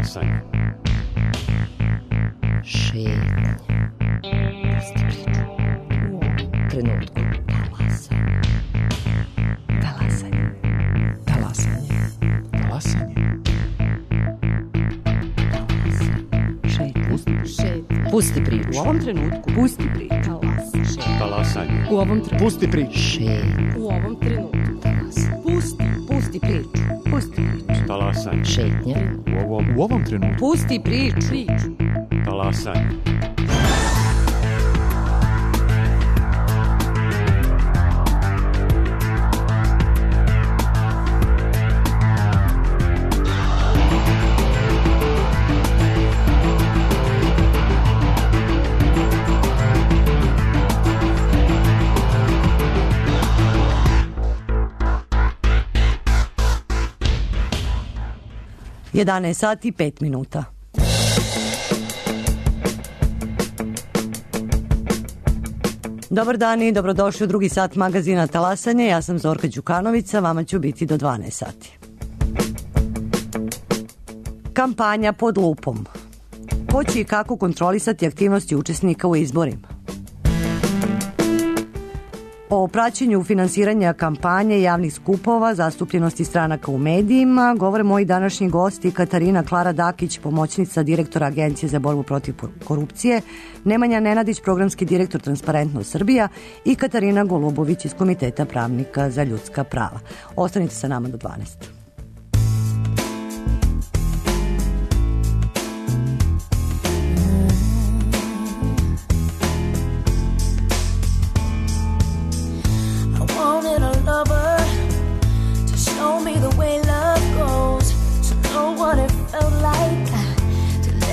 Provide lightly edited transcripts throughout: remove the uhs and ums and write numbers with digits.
Talasanje. Šetnje. Pusti priču. U ovom trenutku. Talasanje. Talasanje. Talasanje. Šetnje. Pusti priču. U ovom trenutku. Pusti priču. Talasanje. U ovom trenutku. Pusti priču. Šetnje. U ovom trenutku. Pusti priču. Pusti priču. Talasanje. Šetnje. U ovom trenutku. Pusti priču. Talasanje. Jedanaest sati i 5 minuta. Dobar dan i dobrodošli u drugi sat magazina Talasanje. Ja sam Zorka Đukanovića, vama ću biti do 12 sati. Kampanja pod lupom. Ko će i kako kontrolisati aktivnosti učesnika u izborima? O praćenju finansiranja kampanje, javnih skupova, zastupljenosti stranaka u medijima govore moji današnji gosti Katarina Klara Dakić, pomoćnica direktora Agencije za borbu protiv korupcije, Nemanja Nenadić, programski direktor Transparentnost Srbija i Katarina Golubović iz Komiteta pravnika za ljudska prava. Ostanite sa nama do 12.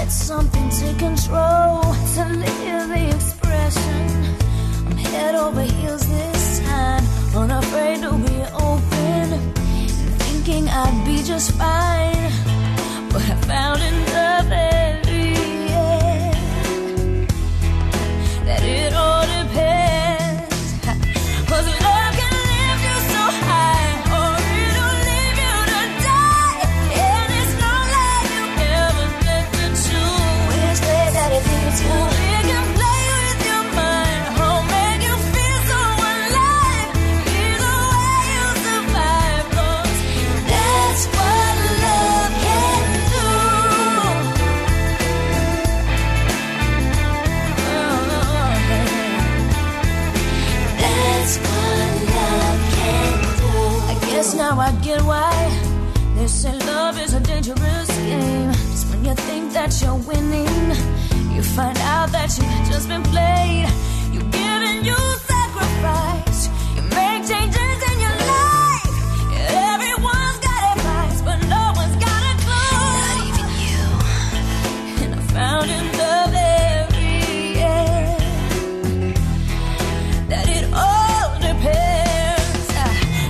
Something to control, to live the expression. I'm head over heels this time, unafraid to be open, and thinking I'd be just fine. But I found in the very end that it all depends. 'Cause love can lift you so high, or it'll leave you to die. And it's not like you ever get to choose. That it leads you. It can play with your mind, or make you feel so alive. Either way you survive, 'cause that's what love can do. That's what love can do. I guess now I get why they say love is a dangerous game. Just when you think that you're winning, you find out that you've just been played. You give and you sacrifice. You make changes in your life. Everyone's got advice, but no one's got a clue. Not even you. And I found in the very end that it all depends.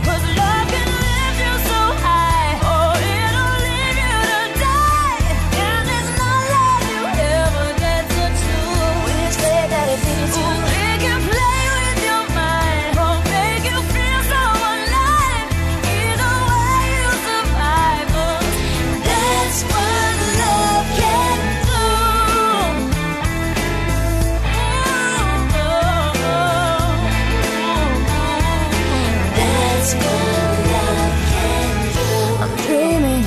'Cause love can lift you so high, or it'll leave you to die. And it's not like you ever get to choose. Which way that it leads you. It can play with your mind, or make you feel so alive. Either way you survive, 'cause that's what love can do. That's what love can do. I'm dreaming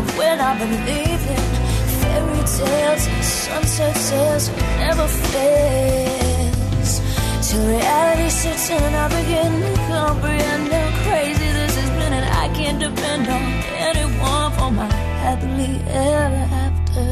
of when I believe in fairy tales and sunset sails never fails. Till reality sits in and I begin to comprehend how crazy this has been, and I can't depend on anyone for my happily ever after.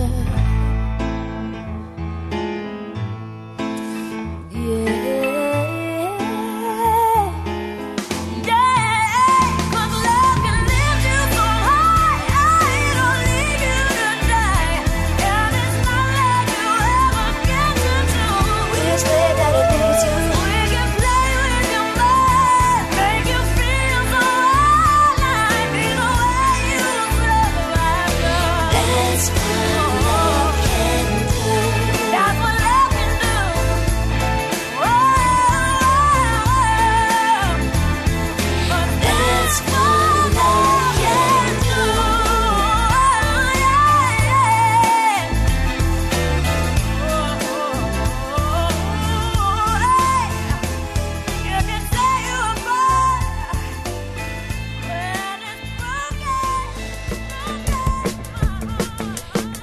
That's what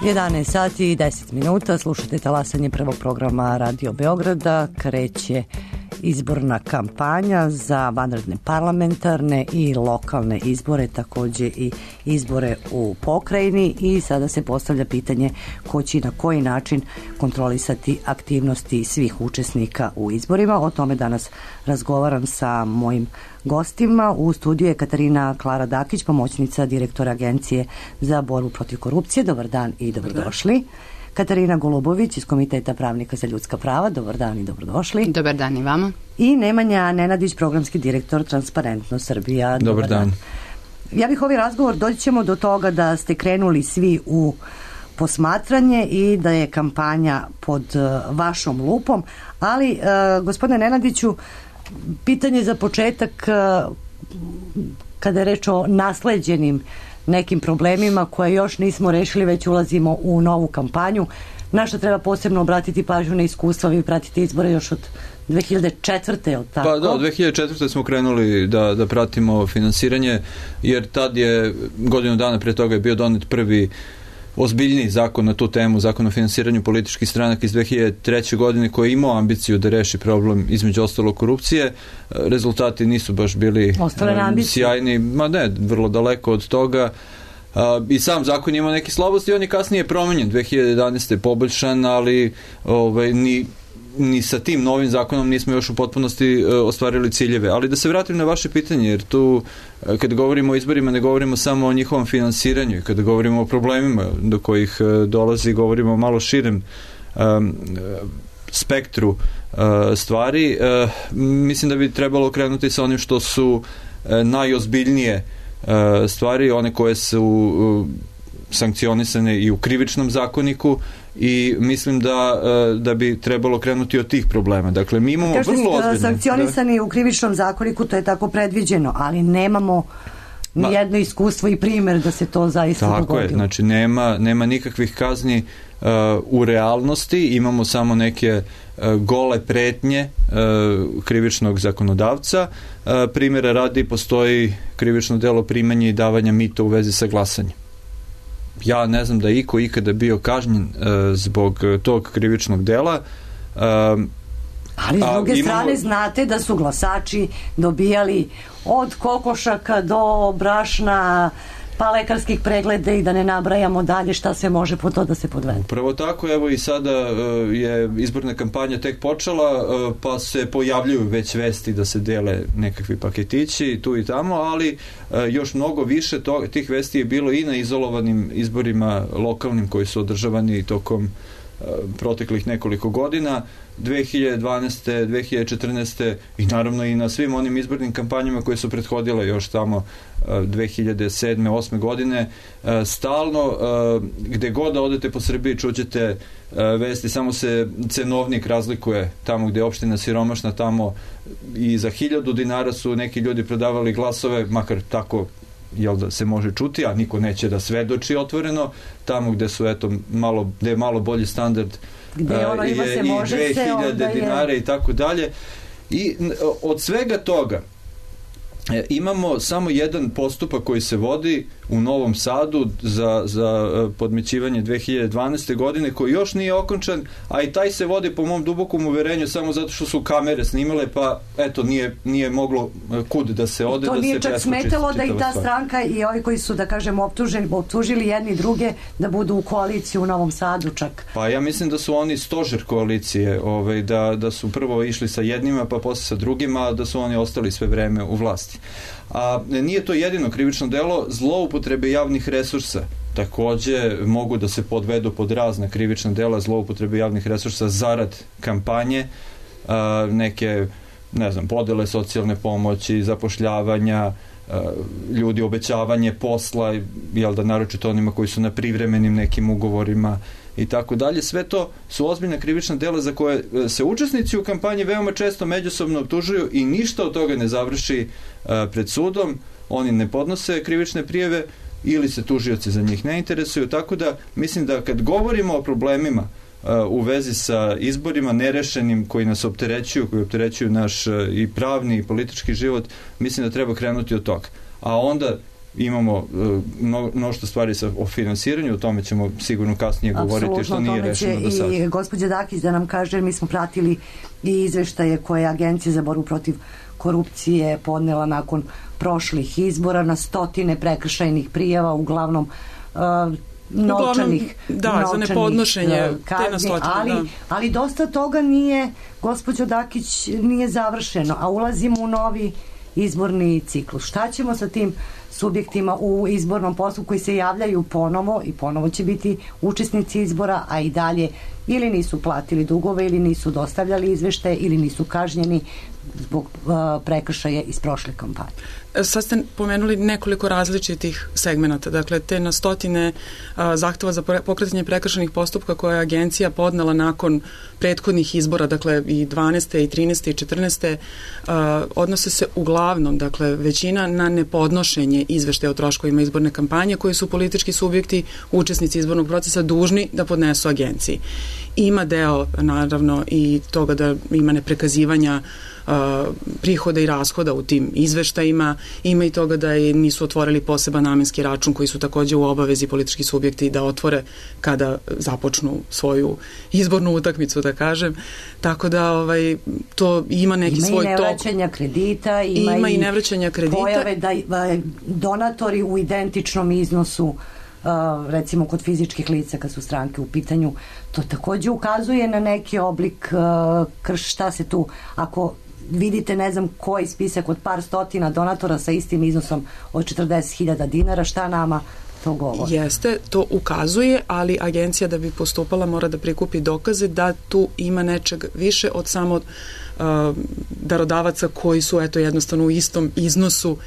11 sati i 10 minuta, slušate talasanje prvog programa Radio Beograda. Kreće izborna kampanja za vanredne parlamentarne i lokalne izbore, takođe i izbore u pokrajini, i sada se postavlja pitanje ko će na koji način kontrolisati aktivnosti svih učesnika u izborima. O tome danas razgovaram sa mojim gostima. U studiju je Katarina Klara Dakić, pomoćnica direktora Agencije za borbu protiv korupcije. Dobar dan i dobrodošli. Katarina Golubović iz Komiteta pravnika za ljudska prava. Dobar dan i dobrodošli. Dobar dan i vama. I Nemanja Nenadić, programski direktor Transparentno Srbija. Dobar dan. Ja bih ovaj razgovor, doći ćemo do toga da ste krenuli svi u posmatranje i da je kampanja pod vašom lupom, ali gospodine Nenadiću, pitanje za početak, kada je reč o nasleđenim nekim problemima koje još nismo rešili, već ulazimo u novu kampanju. Na što treba posebno obratiti pažnju na iskustva? Vi pratite izbore još od 2004. je li tako? Pa da, od 2004. smo krenuli da pratimo finansiranje, jer tad je, godinu dana pre toga je bio donet prvi ozbiljniji zakon na tu temu, zakon o finansiranju političkih stranaka iz 2003. godine, koji je imao ambiciju da reši problem, između ostalo, korupcije. Rezultati nisu baš bili sjajni, ma ne, vrlo daleko od toga. I sam zakon ima neke slabosti, on je kasnije promenjen, 2011. je poboljšan, ali ni sa tim novim zakonom nismo još u potpunosti ostvarili ciljeve. Ali da se vratim na vaše pitanje, jer tu kada govorimo o izborima ne govorimo samo o njihovom finansiranju, i kada govorimo o problemima do kojih dolazi, govorimo o malo širem spektru stvari. Mislim da bi trebalo krenuti sa onim što su najozbiljnije stvari, one koje su sankcionisane i u krivičnom zakoniku, i mislim da bi trebalo krenuti od tih problema. Dakle, mi imamo vrlo ozbiljne... Sankcionisani u krivičnom zakoniku, to je tako predviđeno, ali nemamo nijedno iskustvo i primjer da se to zaista dogodilo. Tako je, znači nema nikakvih kazni u realnosti, imamo samo neke gole pretnje krivičnog zakonodavca. Primjera radi, postoji krivično delo primanja i davanja mita u vezi sa glasanjem. Ja ne znam da je iko ikada bio kažnjen zbog tog krivičnog dela. Ali s druge strane znate da su glasači dobijali od kokošaka do brašna, pa lekarskih pregleda, i da ne nabrajamo dalje šta se može po to da se podvede. Upravo tako, evo i sada je izborna kampanja tek počela, pa se pojavljuju već vesti da se dele nekakvi paketići tu i tamo, ali još mnogo više tih vesti je bilo i na izolovanim izborima lokalnim koji su održavani tokom proteklih nekoliko godina, 2012. 2014. i naravno i na svim onim izbornim kampanjama koje su prethodile još tamo 2007. 2008. godine. Stalno, gde god da odete po Srbiji, čućete vesti, samo se cenovnik razlikuje. Tamo gde je opština siromašna, tamo i za 1000 dinara su neki ljudi prodavali glasove, makar tako da se može čuti, a niko neće da svedoči otvoreno. Tamo gde su, gde je malo bolji standard, gde je i 2000 dinara i tako dalje. I od svega toga imamo samo jedan postupak koji se vodi u Novom Sadu za podmićivanje 2012. godine, koji još nije okončan, a i taj se vodi po mom dubokom uverenju samo zato što su kamere snimale, pa eto, nije moglo kud da se ode. To da nije se čak smetalo da i ta stranka i ovi koji su, da kažem, optužili jedni druge da budu u koaliciji u Novom Sadu čak. Pa ja mislim da su oni stožer koalicije, da su prvo išli sa jednima, pa posle sa drugima, da su oni ostali sve vreme u vlasti. A nije to jedino krivično delo. Zloupotrebe javnih resursa takođe mogu da se podvedu pod razna krivična dela, zloupotrebe javnih resursa zarad kampanje, neke, ne znam, podele socijalne pomoći, zapošljavanja ljudi, obećavanje posla, naročito onima koji su na privremenim nekim ugovorima i tako dalje. Sve to su ozbiljna krivična dela za koje se učesnici u kampanji veoma često međusobno optužuju i ništa od toga ne završi pred sudom. Oni ne podnose krivične prijave ili se tužioci za njih ne interesuju, tako da mislim da kad govorimo o problemima u vezi sa izborima nerešenim koji nas opterećuju, koji opterećuju naš i pravni i politički život, mislim da treba krenuti od toga. A onda imamo mnoštvo stvari o finansiranju, o tome ćemo sigurno kasnije govoriti, što nije rešeno do sada. I gospođa Dakić da nam kaže, mi smo pratili i izveštaje koje je Agencija za borbu protiv korupcije podnela nakon prošlih izbora na stotine prekršajnih prijava, uglavnom novčanih za nepodnošenje kazni, ali dosta toga nije, gospođo Dakić, nije završeno, a ulazimo u novi izborni ciklus. Šta ćemo sa tim subjektima u izbornom postupku koji se javljaju ponovo i ponovo će biti učesnici izbora, a i dalje ili nisu platili dugove, ili nisu dostavljali izveštaje, ili nisu kažnjeni zbog prekršaja iz prošle kampanje? Sad ste pomenuli nekoliko različitih segmenata, dakle te na stotine zahteva za pokretanje prekršajnih postupka koje je agencija podnela nakon prethodnih izbora, dakle i 12. i 13. i 14. Odnose se uglavnom, dakle većina na nepodnošenje izveštaja o troškovima izborne kampanje koje su politički subjekti, učesnici izbornog procesa dužni da podnesu agenciji. Ima deo, naravno, i toga da ima neprekazivanja prihoda i rashoda u tim izveštajima, ima i toga da nisu otvorili poseban namenski račun koji su takođe u obavezi politički subjekti da otvore kada započnu svoju izbornu utakmicu, da kažem. Tako da to ima neki svoj tok. Ima i nevraćanja kredita, ima i nevraćanja kredita. Pojave da donatori u identičnom iznosu, recimo kod fizičkih lica kad su stranke u pitanju, to takođe ukazuje na neki oblik šta se tu, ako vidite ne znam koji spisak od par stotina donatora sa istim iznosom od 40.000 dinara, šta nama to govori? Jeste, to ukazuje, ali agencija da bi postupala mora da prikupi dokaze da tu ima nečeg više od samo darodavaca koji su jednostavno u istom iznosu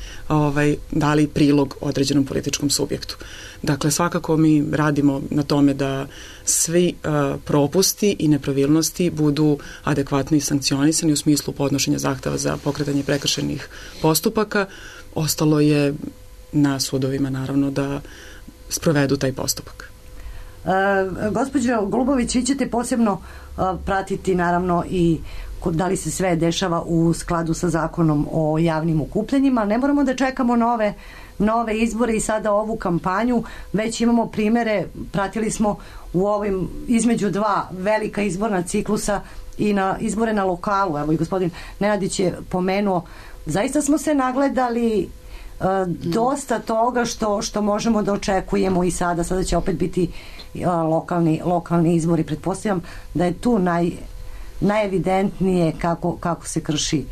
dali prilog određenom političkom subjektu. Dakle, svakako mi radimo na tome da svi propusti i nepravilnosti budu adekvatno i sankcionisani u smislu podnošenja zahteva za pokretanje prekršajnih postupaka. Ostalo je na sudovima, naravno, da sprovedu taj postupak. Gospođo Golubović, vi ćete posebno pratiti, naravno, i da li se sve dešava u skladu sa zakonom o javnim okupljanjima. Ne moramo da čekamo nove izbore i sada ovu kampanju, već imamo primere, pratili smo u ovim između dva velika izborna ciklusa i na izbore na lokalu. Evo i gospodin Nenadić je pomenuo, zaista smo se nagledali dosta toga što možemo da očekujemo i sada će opet biti lokalni izbori. Pretpostavljam da je tu najevidentnije kako se krši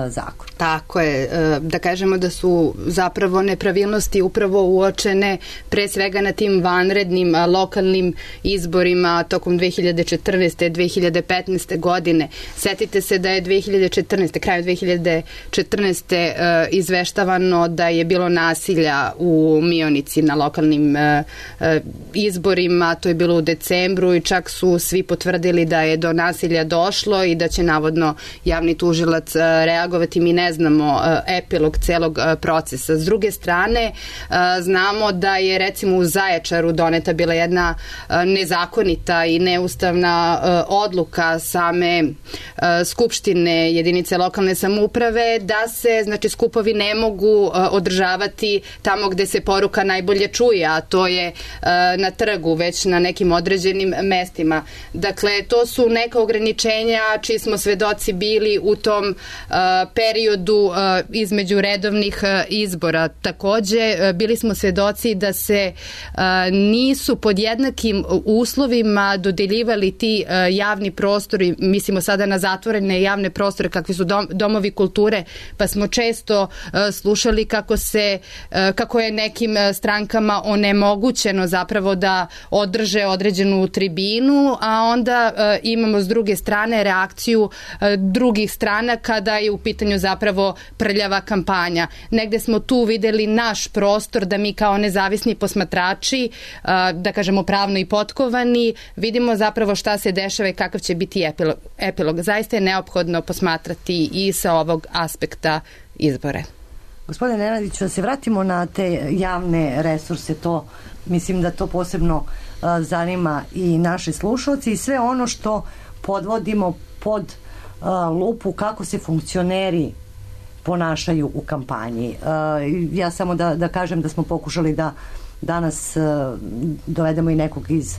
zakon. Tako je, da kažemo da su zapravo nepravilnosti upravo uočene pre svega na tim vanrednim lokalnim izborima tokom 2014. 2015. godine. Setite se da je 2014. kraju 2014. Izveštavano da je bilo nasilja u Mionici na lokalnim izborima, to je bilo u decembru i čak su svi potvrdili da je do nasilja došlo i da će navodno javni tužilac reagovati. Mi ne znamo epilog celog procesa. S druge strane, znamo da je recimo u Zaječaru doneta bila jedna nezakonita i neustavna odluka same skupštine jedinice lokalne samouprave da se, znači, skupovi ne mogu održavati tamo gde se poruka najbolje čuje, a to je na trgu, već na nekim određenim mestima. Dakle, to su neka ograničenja čiji smo svedoci bili u tom periodu između redovnih izbora. Takođe, bili smo svedoci da se nisu pod jednakim uslovima dodeljivali ti javni prostori, mislimo sada na zatvorene javne prostore kakvi su domovi kulture, pa smo često slušali kako je nekim strankama onemogućeno zapravo da održe određenu tribinu, a onda imamo s druge strane reakciju drugih strana kada je u pitanju zapravo prljava kampanja. Negde smo tu videli naš prostor da mi kao nezavisni posmatrači, da kažemo pravno i potkovani, vidimo zapravo šta se dešava i kakav će biti epilog. Zaista je neophodno posmatrati i sa ovog aspekta izbore. Gospodine Nenadiću, da se vratimo na te javne resurse, to mislim da to posebno zanima i naše slušalci i sve ono što podvodimo pod lupu kako se funkcioneri ponašaju u kampanji. Ja samo da kažem da smo pokušali da danas dovedemo i nekog iz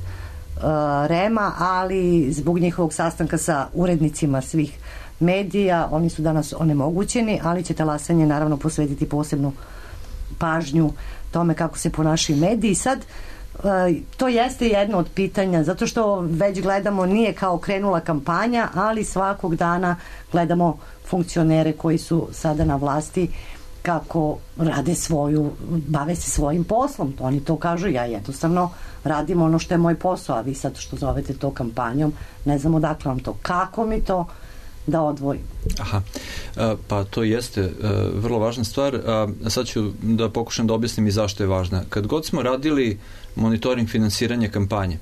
REM-a, ali zbog njihovog sastanka sa urednicima svih medija, oni su danas onemogućeni, ali će Talasanje naravno posvetiti posebnu pažnju tome kako se ponašaju mediji. Sad, to jeste jedno od pitanja, zato što već gledamo, nije kao krenula kampanja, ali svakog dana gledamo funkcionere koji su sada na vlasti kako rade bave se svojim poslom. Oni to kažu, ja jednostavno radim ono što je moj posao, a vi sad što zovete to kampanjom, ne znam odakle vam to. Kako mi to da odvojim? Aha, pa to jeste vrlo važna stvar. Sad ću da pokušam da objasnim i zašto je važna. Kad god smo radili monitoring finansiranja kampanje,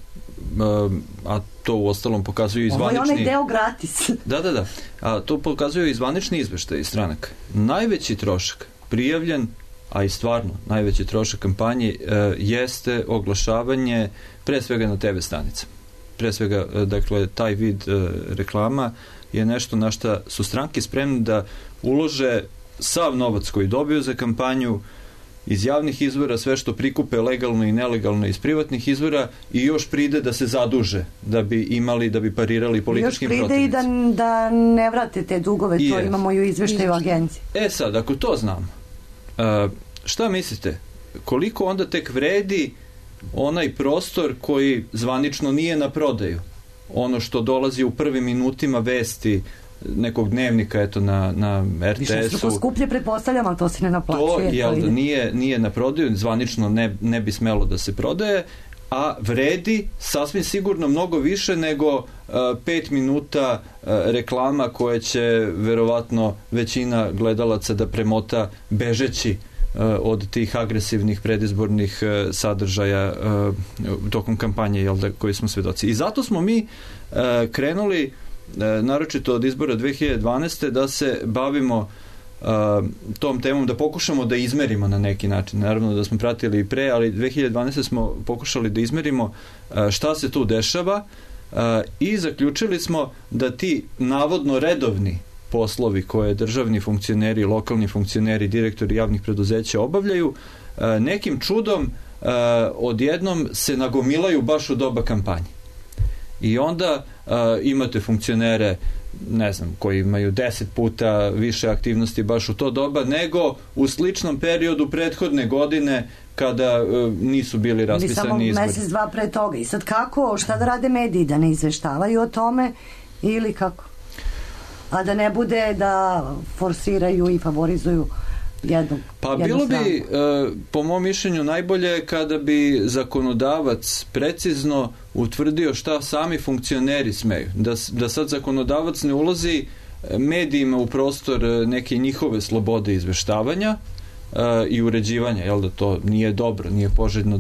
a to u ostalom pokazuju i zvanični... Ovo je onaj deo gratis. Da. A to pokazuju i zvanični izveštaj iz stranaka. Najveći trošak prijavljen, a i stvarno najveći trošak kampanje jeste oglašavanje pre svega na TV stanica. Pre svega, dakle, taj vid reklama je nešto na šta su stranke spremne da ulože sav novac koji dobiju za kampanju iz javnih izvora, sve što prikupe legalno i nelegalno iz privatnih izvora i još pride da se zaduže da bi parirali političkim protivnicima. Još pride i da ne vrate te dugove, to imamo i u izveštaju agencije. Sad, ako to znam, šta mislite, koliko onda tek vredi onaj prostor koji zvanično nije na prodaju? Ono što dolazi u prvim minutima vesti nekog dnevnika, eto, na RTS-u. Više struko skuplje, pretpostavljam, ali to se ne naplaćuje. To nije na prodaju, zvanično ne bi smelo da se prodaje, a vredi sasvim sigurno mnogo više nego 5 minuta reklama koje će verovatno većina gledalaca da premota bežeći od tih agresivnih predizbornih sadržaja tokom kampanje, koji smo svedoci. I zato smo mi krenuli, naročito od izbora 2012. da se bavimo tom temom, da pokušamo da izmerimo na neki način. Naravno da smo pratili i pre, ali 2012. smo pokušali da izmerimo šta se tu dešava i zaključili smo da ti navodno redovni poslovi koje državni funkcioneri, lokalni funkcioneri, direktori javnih preduzeća obavljaju, nekim čudom odjednom se nagomilaju baš u doba kampanje. I onda imate funkcionere, ne znam, koji imaju 10 puta više aktivnosti baš u to doba nego u sličnom periodu prethodne godine kada nisu bili raspisani izbori. Samo mesec, dva pre toga. I sad kako, šta da rade mediji? Da ne izveštavaju o tome ili kako? A da ne bude da forsiraju i favorizuju jednu bilo bi, po mom mišljenju, najbolje kada bi zakonodavac precizno utvrdio šta sami funkcioneri smeju. Da sad zakonodavac ne ulazi medijima u prostor neke njihove slobode izveštavanja i uređivanja, da to nije dobro, nije poželjno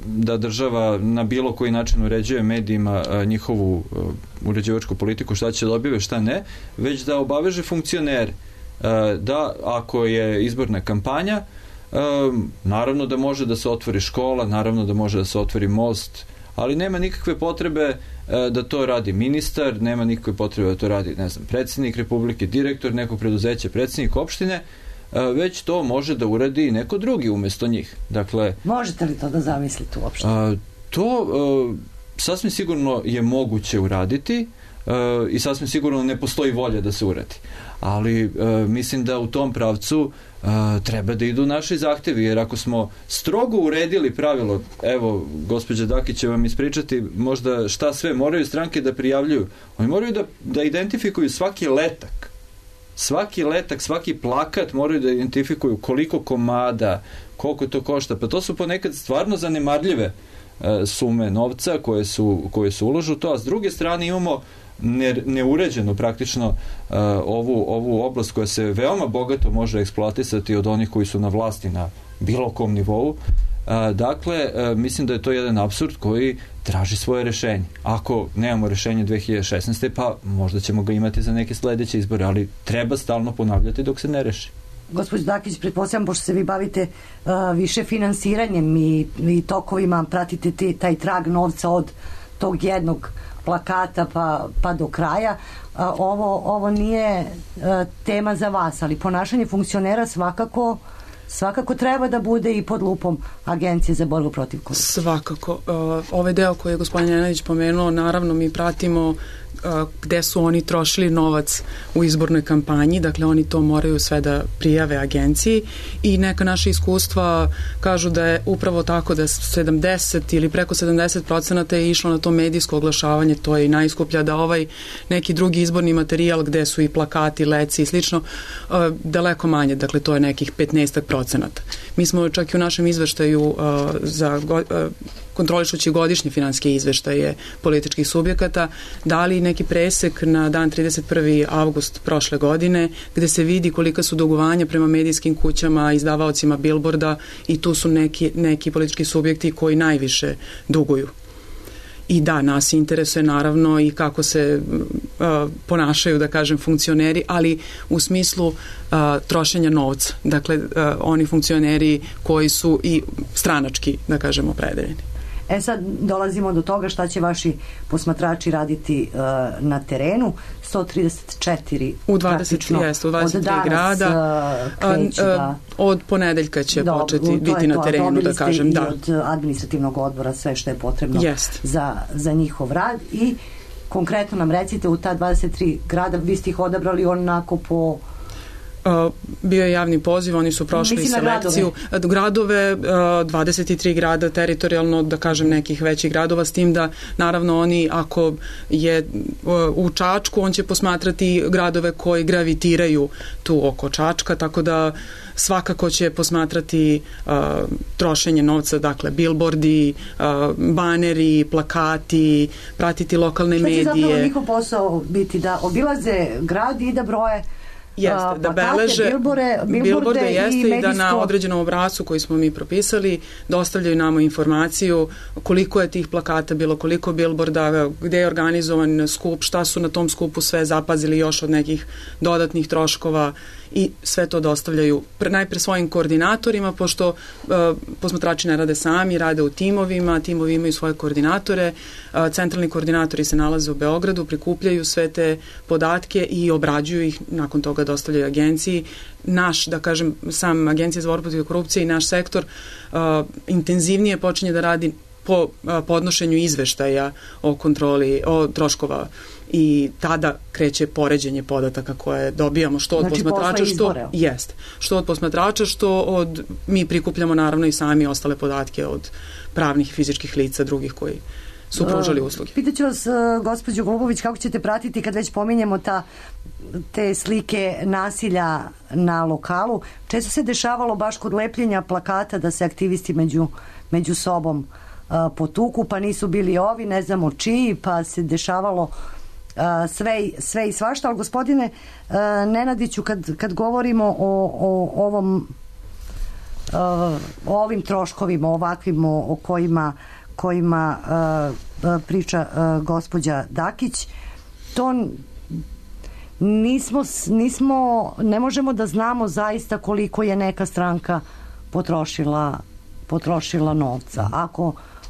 da država na bilo koji način uređuje medijima njihovu uređivačku politiku, šta će da objave, šta ne, već da obaveže funkcionere da ako je izborna kampanja, naravno da može da se otvori škola, naravno da može da se otvori most, ali nema nikakve potrebe da to radi ministar, nema nikakve potrebe da to radi, ne znam, predsjednik Republike, direktor nekog preduzeća, predsjednik opštine, već to može da uradi neko drugi umesto njih. Dakle, možete li to da zamislite uopšte? To sasvim sigurno je moguće uraditi i sasvim sigurno ne postoji volja da se uradi. Ali mislim da u tom pravcu treba da idu naši zahtevi, jer ako smo strogo uredili pravilo, evo, gospođa Dakić će vam ispričati možda šta sve moraju stranke da prijavljuju. Oni moraju da identifikuju svaki letak, svaki plakat, moraju da identifikuju koliko komada, koliko to košta, pa to su ponekad stvarno zanemarljive sume novca koje su uložu to, a s druge strane imamo neuređenu praktično ovu oblast koja se veoma bogato može eksploatisati od onih koji su na vlasti na bilo kom nivou. Dakle, mislim da je to jedan apsurd koji traži svoje rešenje. Ako nemamo rešenje 2016. pa možda ćemo ga imati za neke sledeće izbore, ali treba stalno ponavljati dok se ne reši. Gospođo Dakić, pretpostavljam, pošto se vi bavite više finansiranjem i tokovima, pratite taj trag novca od tog jednog plakata pa do kraja. Ovo nije tema za vas, ali ponašanje funkcionera svakako treba da bude i pod lupom Agencije za borbu protiv korupcije. Svakako. Ovaj deo koji je gospodin Nenadić pomenuo, naravno mi pratimo gde su oni trošili novac u izbornoj kampanji, dakle oni to moraju sve da prijave agenciji i neka naša iskustva kažu da je upravo tako da 70 ili preko 70% je išlo na to medijsko oglašavanje, to je i najskuplja, da ovaj neki drugi izborni materijal gde su i plakati, leci i slično, daleko manje, dakle to je nekih 15%. Mi smo čak i u našem izveštaju za kontrolišući godišnje finansijske izveštaje političkih subjekata, dali neki presek na dan 31. avgust prošle godine, gde se vidi kolika su dugovanja prema medijskim kućama, izdavaocima bilborda i tu su neki politički subjekti koji najviše duguju. I da, nas interesuje naravno i kako se ponašaju, da kažem, funkcioneri, ali u smislu trošenja novca. Dakle, oni funkcioneri koji su i stranački, da kažem, opredeljeni. Sad dolazimo do toga šta će vaši posmatrači raditi na terenu. 134 u 23 grada od ponedeljka će početi biti na terenu, da kažem. Da. Od administrativnog odbora sve što je potrebno za njihov rad i konkretno nam recite u ta 23 grada, vi ste ih odabrali onako po... Bio je javni poziv, oni su prošli selekciju. Gradove, 23 grada teritorijalno, da kažem, nekih većih gradova, s tim da naravno oni, ako je u Čačku, on će posmatrati gradove koji gravitiraju tu oko Čačka, tako da svakako će posmatrati trošenje novca, dakle bilbordi, baneri, plakati, pratiti lokalne medije. Šta će zapravo njihov posao biti? Da obilaze grad i da broje jeste, da beleže bilborde jeste i da na određenom obrascu koji smo mi propisali dostavljaju nama informaciju koliko je tih plakata bilo, koliko bilborda, gde je organizovan skup, šta su na tom skupu sve zapazili još od nekih dodatnih troškova i sve to dostavljaju najpre svojim koordinatorima, pošto posmatrači ne rade sami, rade u timovima, timovi imaju svoje koordinatore, centralni koordinatori se nalaze u Beogradu, prikupljaju sve te podatke i obrađuju ih, nakon toga dostavljaju agenciji. Naš, da kažem, sam Agencija za borbu protiv korupcije i naš sektor intenzivnije počinje da radi po podnošenju izveštaja o kontroli, o troškova i tada kreće poređenje podataka koje dobijamo što od posmatrača, što od posmatrača, što mi prikupljamo naravno i sami ostale podatke od pravnih i fizičkih lica drugih koji su pružali usluge. Pitaću vas, gospođo Golubović, kako ćete pratiti kad već pominjemo te slike nasilja na lokalu? Često se dešavalo baš kod lepljenja plakata da se aktivisti među sobom potuku, pa nisu bili ovi, ne znamo čiji, pa se dešavalo sve i svašta, ali gospodine Nenadiću, kad govorimo o ovim troškovima, ovakvim o kojima priča gospođa Dakić, to ne možemo da znamo zaista koliko je neka stranka potrošila novca.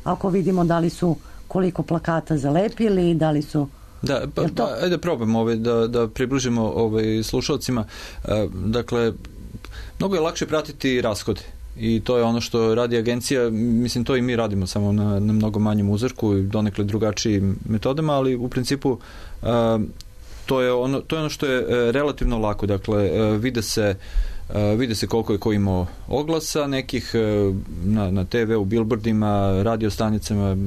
Ako vidimo da li su koliko plakata zalepili, da li su... Da, ajde probamo da približimo slušalcima. Dakle, mnogo je lakše pratiti rashode i to je ono što radi agencija, mislim to i mi radimo samo na mnogo manjem uzorku i donekle drugačijim metodama, ali u principu to je ono što je relativno lako. Dakle, vide se koliko je ko imao oglasa nekih na TV, u bilbordima, radio stanicama,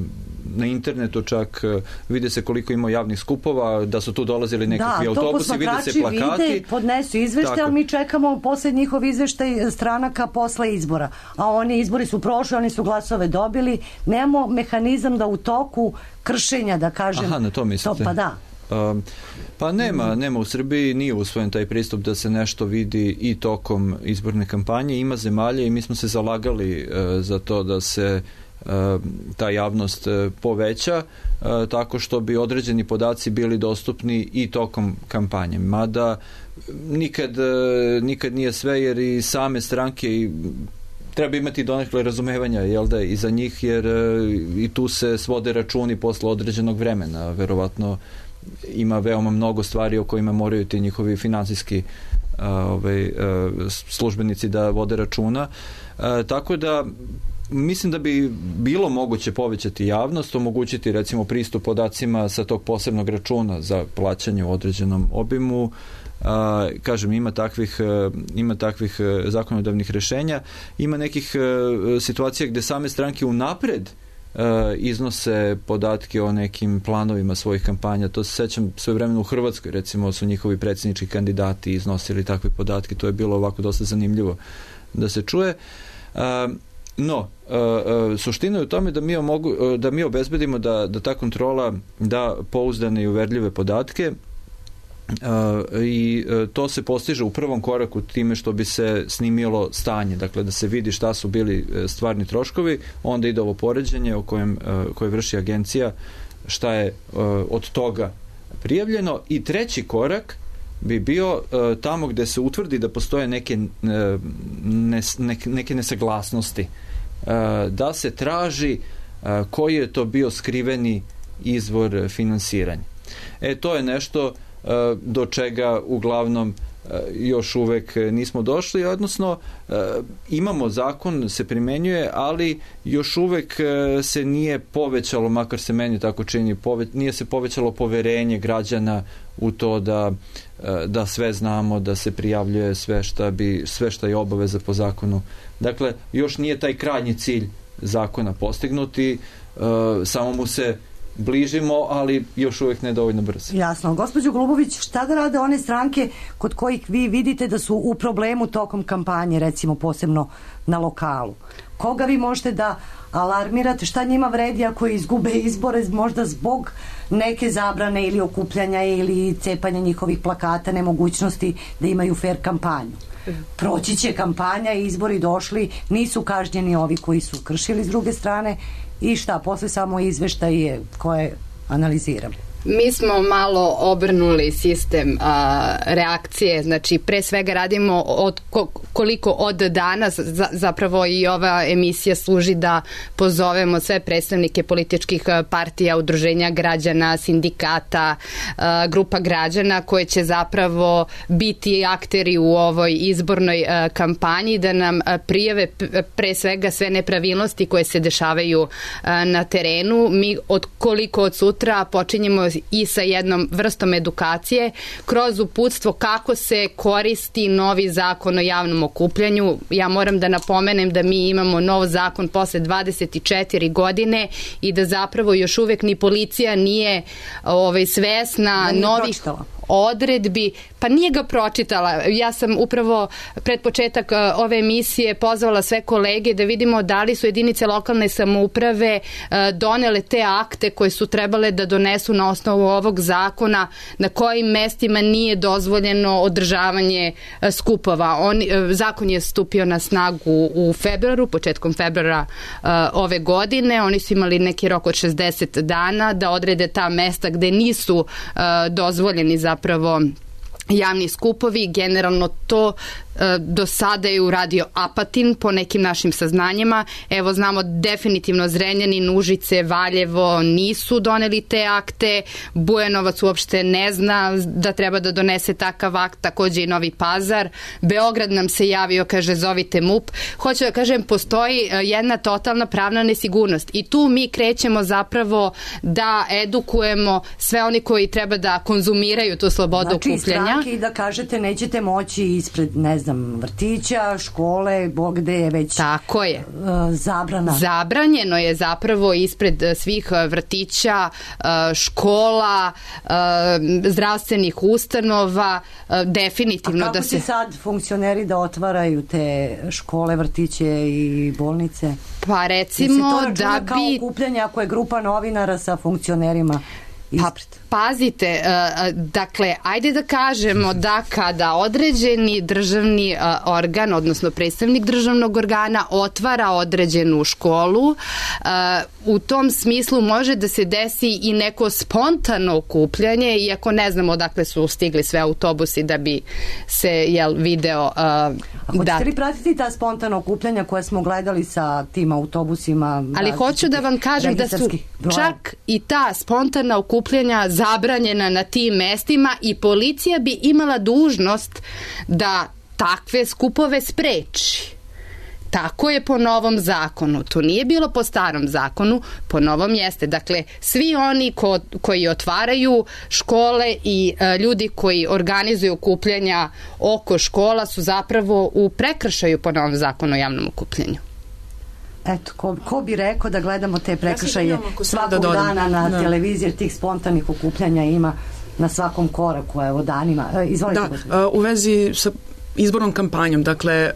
na internetu čak, vide se koliko ima javnih skupova, da su tu dolazili nekakvi autobusi, vide se plakati. Da, to posmatrači vide, podnesu izveštaj, ali mi čekamo posle njihov izveštaj stranaka posle izbora. A oni izbori su prošli, oni su glasove dobili. Nemamo mehanizam da u toku kršenja, da kažem... Aha, na to mislite. Pa da. Pa nema u Srbiji, nije usvojen taj pristup da se nešto vidi i tokom izborne kampanje. Ima zemalja i mi smo se zalagali za to da se ta javnost poveća tako što bi određeni podaci bili dostupni i tokom kampanje. Mada nikad nije sve, jer i same stranke treba imati donekle razumevanja, jel da, i za njih, jer i tu se svode računi posle određenog vremena. Verovatno ima veoma mnogo stvari o kojima moraju ti njihovi finansijski službenici da vode računa. Tako da mislim da bi bilo moguće povećati javnost, omogućiti recimo pristup podacima sa tog posebnog računa za plaćanje u određenom obimu. Kažem, ima takvih zakonodavnih rešenja, ima nekih situacija gde same stranke unapred iznose podatke o nekim planovima svojih kampanja. To se sećam svojevremeno u Hrvatskoj, recimo su njihovi predsjednički kandidati iznosili takve podatke, to je bilo ovako dosta zanimljivo da se čuje. No, suština je u tome da mi obezbedimo da ta kontrola da pouzdane i uverljive podatke, i to se postiže u prvom koraku time što bi se snimilo stanje, dakle da se vidi šta su bili stvarni troškovi, onda ide ovo poređenje koje vrši agencija, šta je od toga prijavljeno, i treći korak bi bio tamo gde se utvrdi da postoje neke nesaglasnosti, da se traži koji je to bio skriveni izvor finansiranja. To je nešto do čega uglavnom još uvek nismo došli, odnosno imamo zakon, se primenjuje, ali još uvek se nije povećalo, makar se meni tako čini, nije se povećalo poverenje građana u to da sve znamo, da se prijavljuje sve šta je obaveza po zakonu. Dakle, još nije taj krajnji cilj zakona postignuti, samo mu se bližimo, ali još uvijek ne dovoljno brzo. Jasno. Gospođo Golubović, šta da rade one stranke kod kojih vi vidite da su u problemu tokom kampanje, recimo posebno na lokalu? Koga vi možete da alarmirate? Šta njima vredi ako izgube izbore možda zbog neke zabrane ili okupljanja ili cepanja njihovih plakata, nemogućnosti da imaju fair kampanju? Proći će kampanja i izbori došli, nisu kažnjeni ovi koji su kršili s druge strane, i šta, posle samo izveštaje koje analiziramo. Mi smo malo obrnuli sistem reakcije, znači pre svega radimo koliko od danas, zapravo i ova emisija služi da pozovemo sve predstavnike političkih partija, udruženja građana, sindikata, grupa građana koje će zapravo biti akteri u ovoj izbornoj kampanji, da nam prijave pre svega sve nepravilnosti koje se dešavaju na terenu. Mi koliko od sutra počinjemo i sa jednom vrstom edukacije kroz uputstvo kako se koristi novi zakon o javnom okupljanju. Ja moram da napomenem da mi imamo nov zakon posle 24 godine i da zapravo još uvek ni policija nije svesna novih odredbi, pa nije ga pročitala. Ja sam upravo pred početak ove emisije pozvala sve kolege da vidimo da li su jedinice lokalne samouprave donele te akte koje su trebale da donesu na osnovu ovog zakona, na kojim mestima nije dozvoljeno održavanje skupova. Zakon je stupio na snagu u februaru, početkom februara ove godine. Oni su imali neki rok od 60 dana da odrede ta mesta gde nisu dozvoljeni zapravo javni skupovi. Generalno to do sada je uradio Apatin po nekim našim saznanjima. Evo, znamo definitivno Zrenjanin, Užice, Valjevo nisu doneli te akte. Bujanovac uopšte ne zna da treba da donese takav akt, takođe i Novi Pazar. Beograd nam se javio, kaže zovite MUP. Hoću da kažem, postoji jedna totalna pravna nesigurnost i tu mi krećemo zapravo da edukujemo sve oni koji treba da konzumiraju tu slobodu okupljanja. Znači, stranke, da kažete, nećete moći ispred, ne znam, vrtića, škole, gde je već tako je zabrana. Zabranjeno je zapravo ispred svih vrtića, škola, zdravstvenih ustanova, definitivno. A kako će sad funkcioneri da otvaraju te škole, vrtiće i bolnice? Pa recimo da bi... Kao okupljanje ako je grupa novinara sa funkcionerima Pazite, dakle, ajde da kažemo da kada određeni državni organ, odnosno predstavnik državnog organa otvara određenu školu, u tom smislu može da se desi i neko spontano okupljanje, iako ne znamo odakle su stigli sve autobusi da bi se video Hoćete li pratiti ta spontana okupljanja koja smo gledali sa tim autobusima? Ali hoću da vam kažem da su čak i ta spontana okupljanja zabranjena na tim mestima i policija bi imala dužnost da takve skupove spreči. Tako je po novom zakonu. To nije bilo po starom zakonu, po novom jeste. Dakle, svi oni koji otvaraju škole i ljudi koji organizuju okupljanja oko škola su zapravo u prekršaju po novom zakonu o javnom okupljanju. Eto, ko bi rekao da gledamo te prekršaje svakog dana na televiziji, jer tih spontanih okupljanja ima na svakom koraku, evo danima. Izvolite. Da, u vezi sa izbornom kampanjom, dakle,